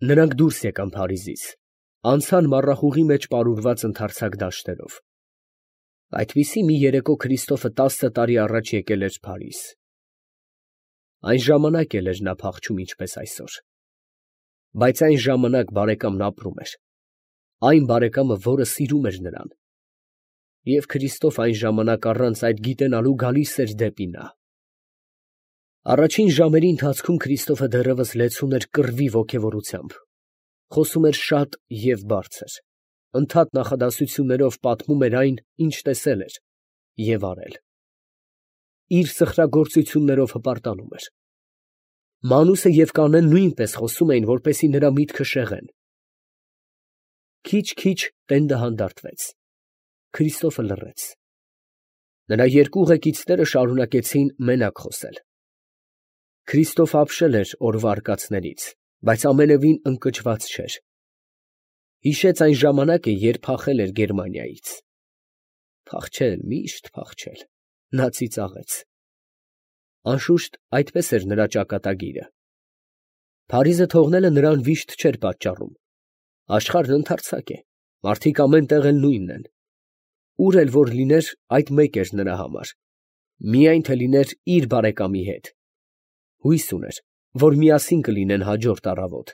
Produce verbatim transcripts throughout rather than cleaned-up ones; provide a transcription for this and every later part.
Նրանք դուրս եկան Փարիզից, անցան մառախուղի մեջ պարուրված ընդարձակ դաշտերով։ Այդպիսի մի երեկո Քրիստոֆը տասը տարի առաջ եկել էր Փարիզ։ Այն ժամանակ էլ էր նա փախչում ինչպես այսօր։ Բայց այն ժամանակ բարեկամն ապրում էր, այն բարեկամը, որը սիրում էր նրան, և Քրիստոֆ այն ժամանակ առանց այդ գիտենալու գալիս էր դեպի նա։ Առաջին ժամերի ընթացքում Քրիստոֆը դեռևս լեցուն էր կռվի ոգևորությամբ, խոսում էր շատ և բարձր, ընդհատ նախադասություններով պատմում էր այն, ինչ տեսել էր և արել։ Իր սխրագործություններով հպարտանում էր։ Մանուսը և Կանեն նույնպես խոսում էին, որպեսզի նրա միտքը շեղեն։ Քիչ֊քիչ տենդը հանդարտվեց, Քրիստոֆը լռեց։ Նրա երկու ուղեկիցները շարունակեցին մենակ խոսել։ Քրիստոֆը ապշել էր օրվա արկածներից, բայց ամենևին ընկճված չէր։ Հիշեց այն ժամանակը, երբ փախել էր Գերմանիայից։ Փախչել, միշտ փախչել, նա ծիծաղեց։ Անշուշտ, այդպես էր նրա ճակատագիրը։ Փարիզը թողնելը նրան վիշտ չէր պատճառում։ Աշխարհն ընդարձակ է, մարդիկ ամեն տեղ էլ նույնն են։ Ուր էլ որ լիներ, այդ մեկ էր նրա համար, միայն թե լիներ իր բարեկամի հետ։ Հույս ուներ, որ միասին կլինեն հաջորդ առավոտ։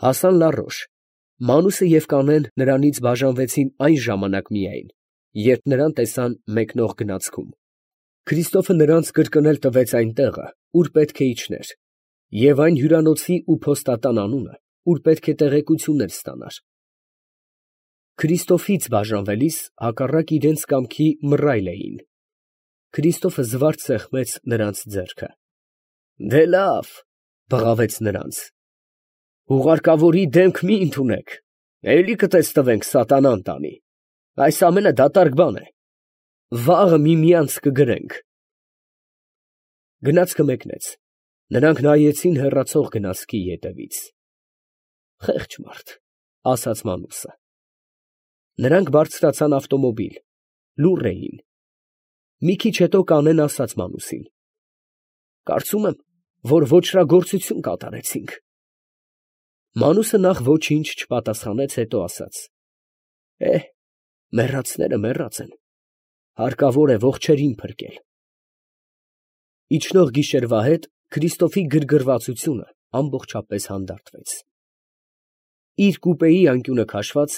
Հասան Լարոշ։ Մանուսը և Կանեն նրանից բաժանվեցին այն ժամանակ միայն, երբ նրան տեսան մեկնող գնացքում։ Քրիստոֆը նրանց կրկնել տվեց այն տեղը, ուր պետք է իջներ, և այն հյուրանոցի ու փոստատան անունը, ուր պետք է տեղեկություններ ստանար։ Քրիստոֆից բաժանվելիս հակառակ իրենց կամքի մռայլ էին։ Քրիստոֆը զվարթ սեղմեց նրանց ձեռքը։ ֊ Դե լավ, ֊ բղավեց նրանց. ֊ հուղարկավորի դեմք մի ընդունեք, էլի կտեսնվենք սատանան տանի, այս ամենը դատարկ բան է, վաղը միմյանց կգրենք։ Գնացքը մեկնեց, նրանք նայեցին հեռացող գնացքի ետևից։ Խեղճ մարդ, ֊ ասաց Մանուսը։ Նրանք բարձրացան ավտոմոբիլ, լուռ էին։ Մի քիչ հետո Կանեն ասաց Մանուսին. ֊ Կարծում եմ, որ ոճրագործություն կատարեցինք։ Մանուսը նախ ոչինչ չպատասխանեց, հետո ասաց. ֊ Է, մեռածները մեռած են, հարկավոր է ողջերին փրկել։ Իջնող գիշերվա հետ Քրիստոֆի գրգռվածությունը ամբողջապես հանդարտվեց։ Իր կուպեի անկյունը քաշված,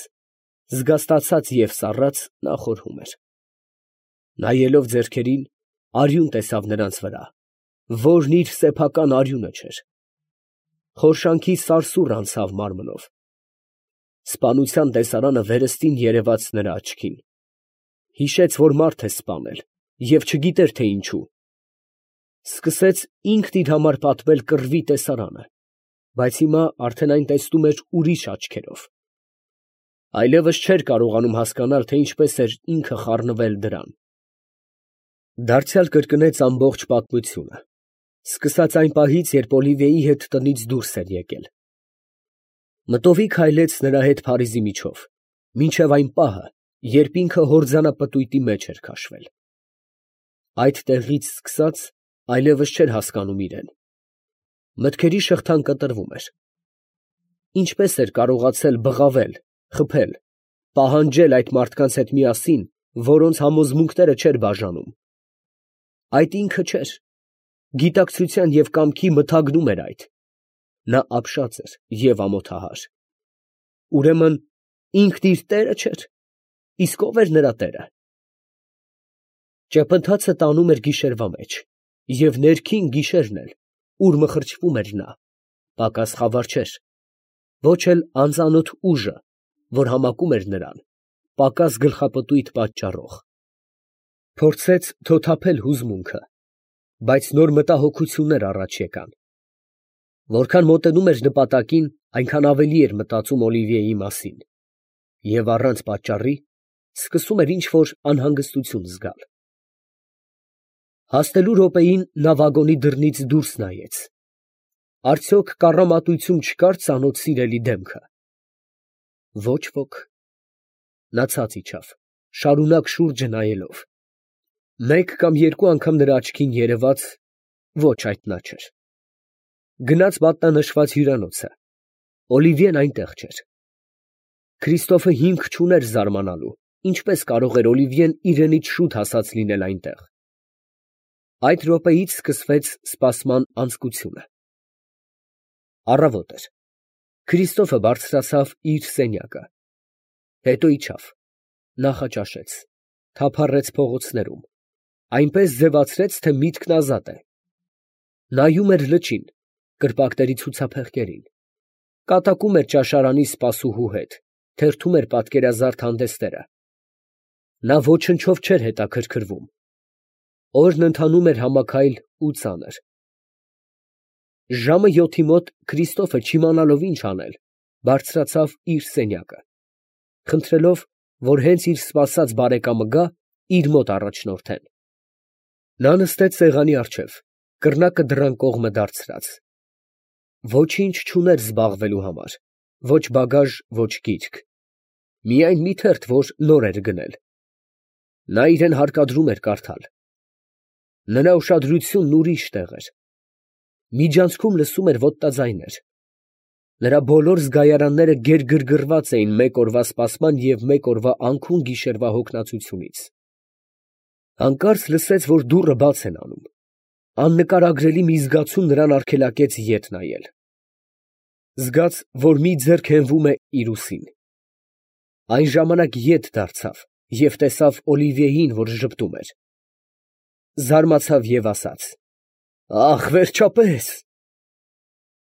զգաստացած և սառած, նա խորհում էր։ Նայելով ձեռքերին, արյուն տեսավ նրանց վրա, որն իր սեփական արյունը չէր։ Խորշանքի սարսուռ անցավ մարմնով։ Սպանության տեսարանը վերստին երևաց նրա աչքին։ Հիշեց, որ մարդ է սպանել և չգիտեր, թե ինչու։ Սկսեց ինքն իր համար պատմել կռվի տեսարանը, բայց հիմա արդեն այն տեսնում էր ուրիշ աչքերով։ Այլևս չէր կարողանում հասկանալ, թե ինչպես էր ինքը խառնվել դրան։ Դարձյալ կրկնեց ամբողջ պատմությունը, սկսած այն պահից, երբ Օլիվիեի հետ տնից դուրս էր եկել։ Մտովի քայլեց նրա հետ Փարիզի միջով, մինչև այն պահը, երբ ինքը հորձանապտույտի մեջ էր քաշվել։ Այդտեղից սկսած այլևս չէր հասկանում իրեն։ Մտքերի շղթան կտրվում էր։ Ինչպես էր կարողացել բղավել, խփել, պահանջել այդ մարդկանց հետ միասին, որոնց համոզմունքները չէր բաժանում։ Այդ ինքը չէր, գիտակցության և կամքի մթագնում էր այդ։ Նա ապշած էր և ամոթահար։ Ուրեմն ինքն իր տերը չէր, իսկ ո՞վ էր նրա տերը։ Ճեպընթացը տանում էր գիշերվա մեջ, և ներքին գիշերն էլ, ուր մխրճվում էր նա, պակաս խավար չէր, ոչ էլ անծանոթ ուժը, որ համակում էր նրան, պակաս գլխապտույտ պատճառող։ Փորձեց թոթափել հուզմունքը, բայց նոր մտահոգություններ առաջ եկան։ Որքան մոտենում էր նպատակին, այնքան ավելի էր մտածում Օլիվիեի մասին, և առանց պատճառի սկսում էր ինչ֊որ անհանգստություն զգալ։ Հասնելու րոպեին նա վագոնի դռնից դուրս նայեց։ Արդյոք կառամատություն չկար ծանոթ սիրելի դեմքը։ Ոչ ոք։ Նա ցած իջավ, շարունակ շուրջը նայելով։ Մեկ կամ երկու անգամ նրա աչքին երևաց, ոչ այդ նա չէր։ Գնաց մատնանշված հյուրանոցը։ Օլիվիեն այնտեղ չէր։ Քրիստոֆը հիմք չուներ զարմանալու, ինչպես կարող էր Օլիվիեն իրենից շուտ հասած լինել այնտեղ։ Այդ րոպեից սկսվեց սպասման անձկությունը։ Առավոտ էր։ Քրիստոֆը բարձրացավ իր սենյակը, հետո իջավ, նախաճաշեց, թափառեց փողոցներում, այնպես ձևացրեց, թե միտքն ազատ է։ Նայում էր լճին, կրպակների ցուցափեղկերին, կատակում էր ճաշարանի սպասուհու հետ, թերթում էր պատկերազարդ հանդեսները։ Նա ոչնչով չէր հետաքրքրվում։ Օրն ընթանում էր համաքայլ ու ծանր։ Ժամը յոթի մոտ Քրիստոֆը, չիմանալով ինչ անել, բարձրացավ իր սենյակը, խնդրելով, որ հենց իր սպասած բարեկամը գա, իր մոտ առաջնորդեն։ Նա նստեց սեղանի առջև, կռնակը դռան կողմը դարձրած։ Ոչինչ չուներ զբաղվելու համար, ոչ բագաժ, ոչ գիրք, միայն մի թերթ, որ նոր էր գնել։ Նա իրան հարկադրում էր կարդալ։ Նրա ուշադրությունն ուրիշ տեղ էր։ Միջանցքում լսում էր ոտնաձայներ։ Նրա բոլոր զգայարանները գերգրգռված էին մեկ օրվա սպասման և մեկ օրվա անքուն գիշերվա հոգնածությունից։ Հանկարծ լսեց, որ դուռը բաց են անում։ Աննկարագրելի մի զգացում նրան արգելակեց ետ նայել։ Զգաց, որ մի ձեռք հենվում է իր ուսին։ Այն ժամանակ ետ դարձավ և տեսավ Օլիվիեին, որ ժպտում էր։ Զարմացավ և ասաց. «Ախ, վերջապես»։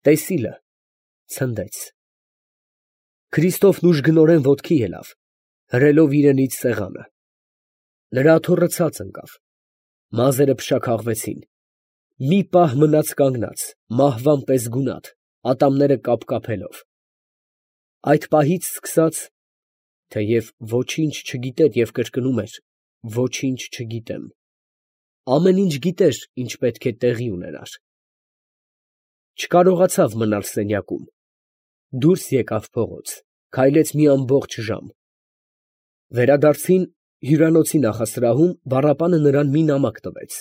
Տեսիլը ցնդեց։ Քրիստոֆն ուժգնորեն ոտքի ելավ, հրելով իրենից սեղանը։ Նրա աթոռը ցած ընկավ, մազերը փշաքաղվեցին, մի պահ մնաց կանգնած, մահվան պես գունատ, ատամները կապկապելով։ Այդ պահից սկսած, թեև ոչինչ չգիտեր և կրկնում էր. «Ոչինչ չգիտեմ», ամեն ինչ գիտեր, ինչ պետք է տեղի ունենար։ Չկարողացավ մնալ սենյակում, դուրս եկավ փողոց, քայլեց մի ամբողջ ժամ։ Վերադարձին հյուրանոցի նախասրահում բառապանը նրան մի նամակ տվեց։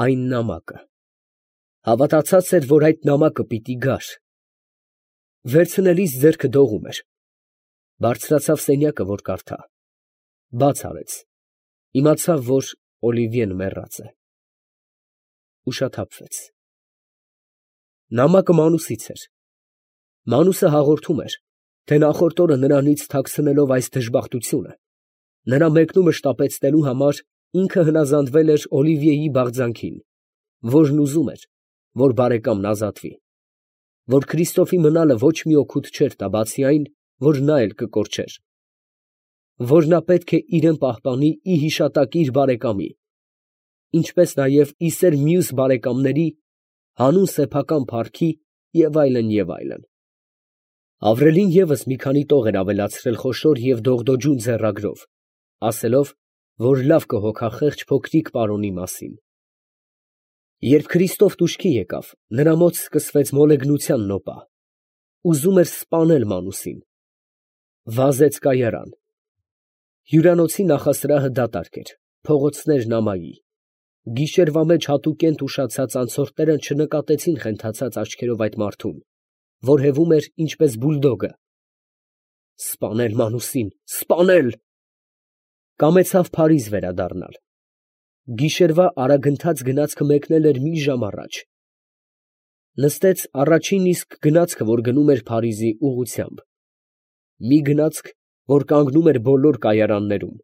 Այն նամակը… Հավատացած էր, որ այդ նամակը պիտի գար։ Վերցնելիս ձեռքը դողում էր։ Բարձրացավ սենյակը, որ կարդա։ Բաց արեց, իմացավ, որ Օլիվիեն մեռած է։ Ուշաթափվեց։ Նամակը Մանուսից էր։ Մանուսը հաղորդում էր, թե նախորդ օրը նրանից թաքցնելով այս դժբախտությունը, նրա մեկնումը շտապեցնելու համար ինքը հնազանդվել էր Օլիվիեի բաղձանքին, որն ուզում էր, որ բարեկամն ազատվի, որ Քրիստոֆի մնալը ոչ մի օգուտ չէր տա, բացի այն, որ նա էլ կկորչեր, որ նա պետք է իրեն պահպանի ի հիշատակի իր բարեկամի, ինչպես նաև ի սեր մյուս բարեկամների, հանուն սեփական փառքի և այլն, և այլն։ Ավրելին ևս մի քանի տող էր ավելացրել խոշոր և դողդոջուն ձեռագրով, ասելով, որ լավ կհոգա խեղճ փոքրիկ պարոնի մասին։ Երբ Քրիստոֆն ուշքի եկավ, նրա մոտ սկսվեց մոլեգնության նոպա։ Ուզում էր սպանել Մանուսին։ Վազեց կայարան։ Հյուրանոցի նախասրահը դատարկ էր, փողոցներն ամայի։ Գիշերվա մեջ հատուկենտ ուշացած անցորդները չնկատեցին խենթացած աչքերով այդ մարդուն, որ հևում էր ինչպես բուլդոգը։ Սպանել Մանուսին, սպանել… Կամեցավ Փարիզ վերադառնալ։ Գիշերվա արագընթաց գնացքը մեկնել էր մի ժամ առաջ։ Նստեց առաջին իսկ գնացքը, որ գնում էր Փարիզի ուղղությամբ։ Մի գնացք, որ կանգնում էր բոլոր կայարաններում։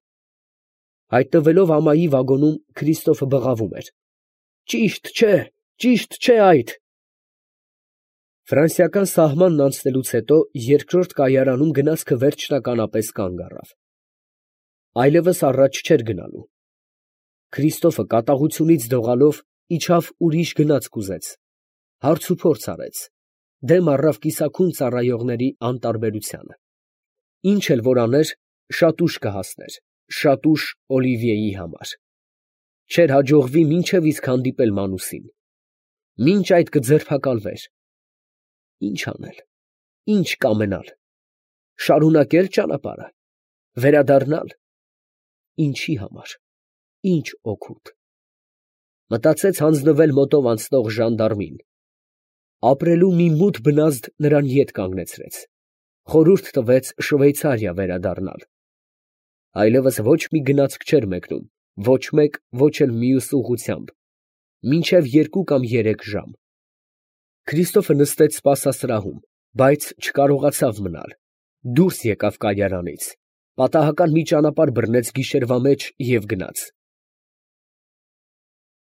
Հայտնվելով ամայի վագոնում, Քրիստոֆը բղավում էր. «Ճիշտ չէ, ճիշտ չէ այդ»։ Ֆրանսիական սահմանն անցնելուց հետո երկրորդ կայարանում գնացքը վերջնականապես կանգ առավ։ Այլևս առաջ չէր գնալու։ Քրիստոֆը կատաղությունից դողալով իջավ ուրիշ գնացք ուզեց, հարցուփորձ արեց, դեմ առավ կիսաքուն ծառայողների անտարբերությանը։ Ինչ էլ որ աներ, շատ ուշ կհասներ, շատ ուշ Օլիվիեի համար։ Չէր հաջողվի մինչև իսկ հանդիպել Մանուսին։ Մինչ այդ կձերբակալվեր։ Ի՞նչ անել, ի՞նչ կամենալ, շարունակե՞լ ճանապարհը, վերադառնալ։ Ինչի համար, ի՞նչ օգուտ։ Մտածեց հանձնվել մոտով անցնող ժանդարմին, Ապրելու մի մութ բնազդ նրան ետ կանգնեցրեց, խորհուրդ տվեց Շվեյցարիա վերադառնալ. այլևս ոչ մի գնացք չէր մեկնում, ոչ մեկ, ոչ էլ մյուս ուղղությամբ, մինչև երկու կամ երեք ժամ։ Քրիստոֆը նստեց սպասասրահում, բայց չկարողացավ մնալ, դուրս եկավ կայարանից, պատահական մի ճանապարհ բռնեց գիշերվա մեջ և գնաց։